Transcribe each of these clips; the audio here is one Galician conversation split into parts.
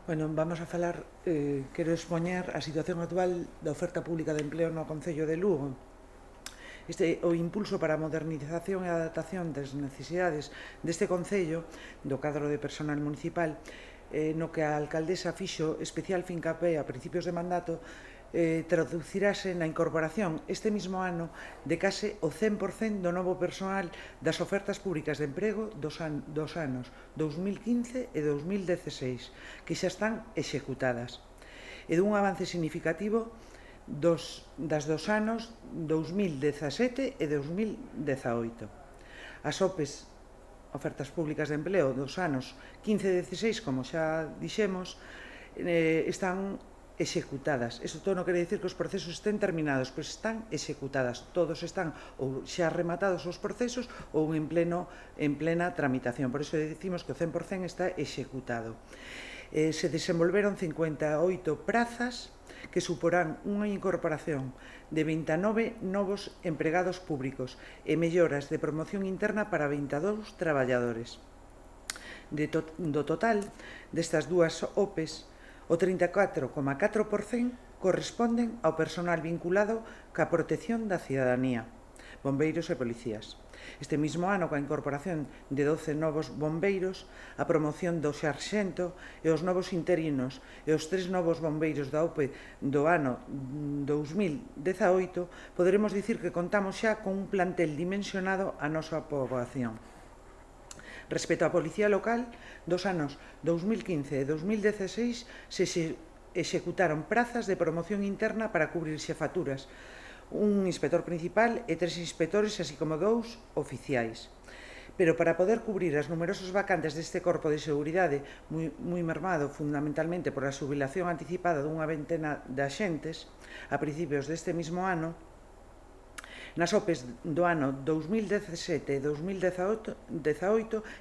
Bueno, vamos a falar, quero expoñer a situación actual da oferta pública de empleo no Concello de Lugo. O impulso para a modernización e adaptación das necesidades deste Concello, do cadro de personal municipal, no que a alcaldesa fixo especial fincapé a principios de mandato, traducirase na incorporación este mismo ano de case o 100% do novo personal das ofertas públicas de emprego dos anos 2015 e 2016, que xa están executadas, e dun avance significativo dos anos 2017 e 2018. As OPEs, ofertas públicas de empleo, dos anos 15 e 16, como xa dixemos, están executadas. Isto todo non quere dicir que os procesos estén terminados, pois están executadas. Todos están ou xa rematados os procesos ou en plena tramitación. Por iso dicimos que o 100% está executado. Se desenvolveron 58 prazas que suporán unha incorporación de 29 novos empregados públicos e melloras de promoción interna para 22 traballadores. Do total destas dúas OPEs, o 34,4% corresponden ao personal vinculado ca protección da cidadanía, bombeiros e policías. Este mesmo ano, coa incorporación de 12 novos bombeiros, a promoción do sarxento e os novos interinos e os 3 novos bombeiros da OPE do ano 2018, poderemos dicir que contamos xa con un plantel dimensionado a nosa poboación. Respecto á Policía Local, dos anos 2015 e 2016 se executaron prazas de promoción interna para cubrir xefaturas, un inspector principal e 3 inspectores, así como 2 oficiais. Pero para poder cubrir as numerosas vacantes deste corpo de seguridade moi mermado fundamentalmente por a xubilación anticipada dunha ventena de axentes a principios deste mesmo ano, nas OPEs do ano 2017 e 2018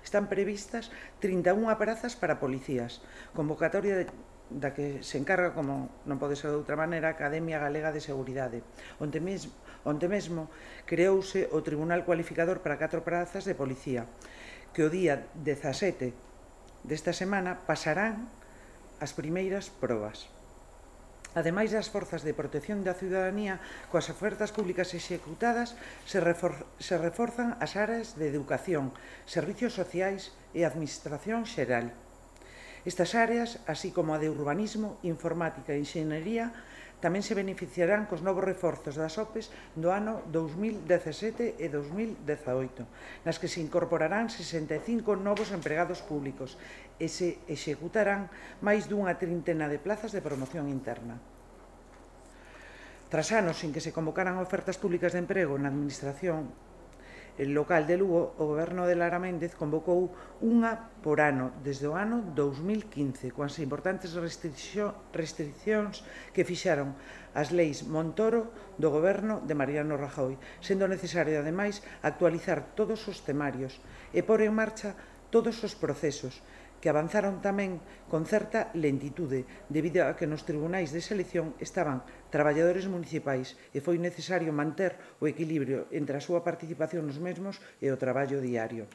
están previstas 31 prazas para policías, convocatoria da que se encarga, como non pode ser de outra maneira, a Academia Galega de Seguridade, onde mesmo creouse o Tribunal Cualificador para 4 prazas de policía, que o día 17 desta semana pasarán as primeiras probas. Ademais das forzas de protección da ciudadanía, coas ofertas públicas executadas se reforzan as áreas de educación, servicios sociais e administración xeral. Estas áreas, así como a de urbanismo, informática e enxeñería, tamén se beneficiarán cos novos reforzos das OPEs do ano 2017 e 2018, nas que se incorporarán 65 novos empregados públicos e se executarán máis dunha trintena de plazas de promoción interna. Tras anos en que se convocaran ofertas públicas de emprego na administración local de Lugo, o Goberno de Lara Méndez convocou unha por ano desde o ano 2015, coas importantes restriccións que fixaron as leis Montoro do Goberno de Mariano Rajoy, sendo necesario, ademais, actualizar todos os temarios e pôr en marcha todos os procesos, que avanzaron tamén con certa lentitude, debido a que nos tribunais de selección estaban traballadores municipais e foi necesario manter o equilibrio entre a súa participación nos mesmos e o traballo diario.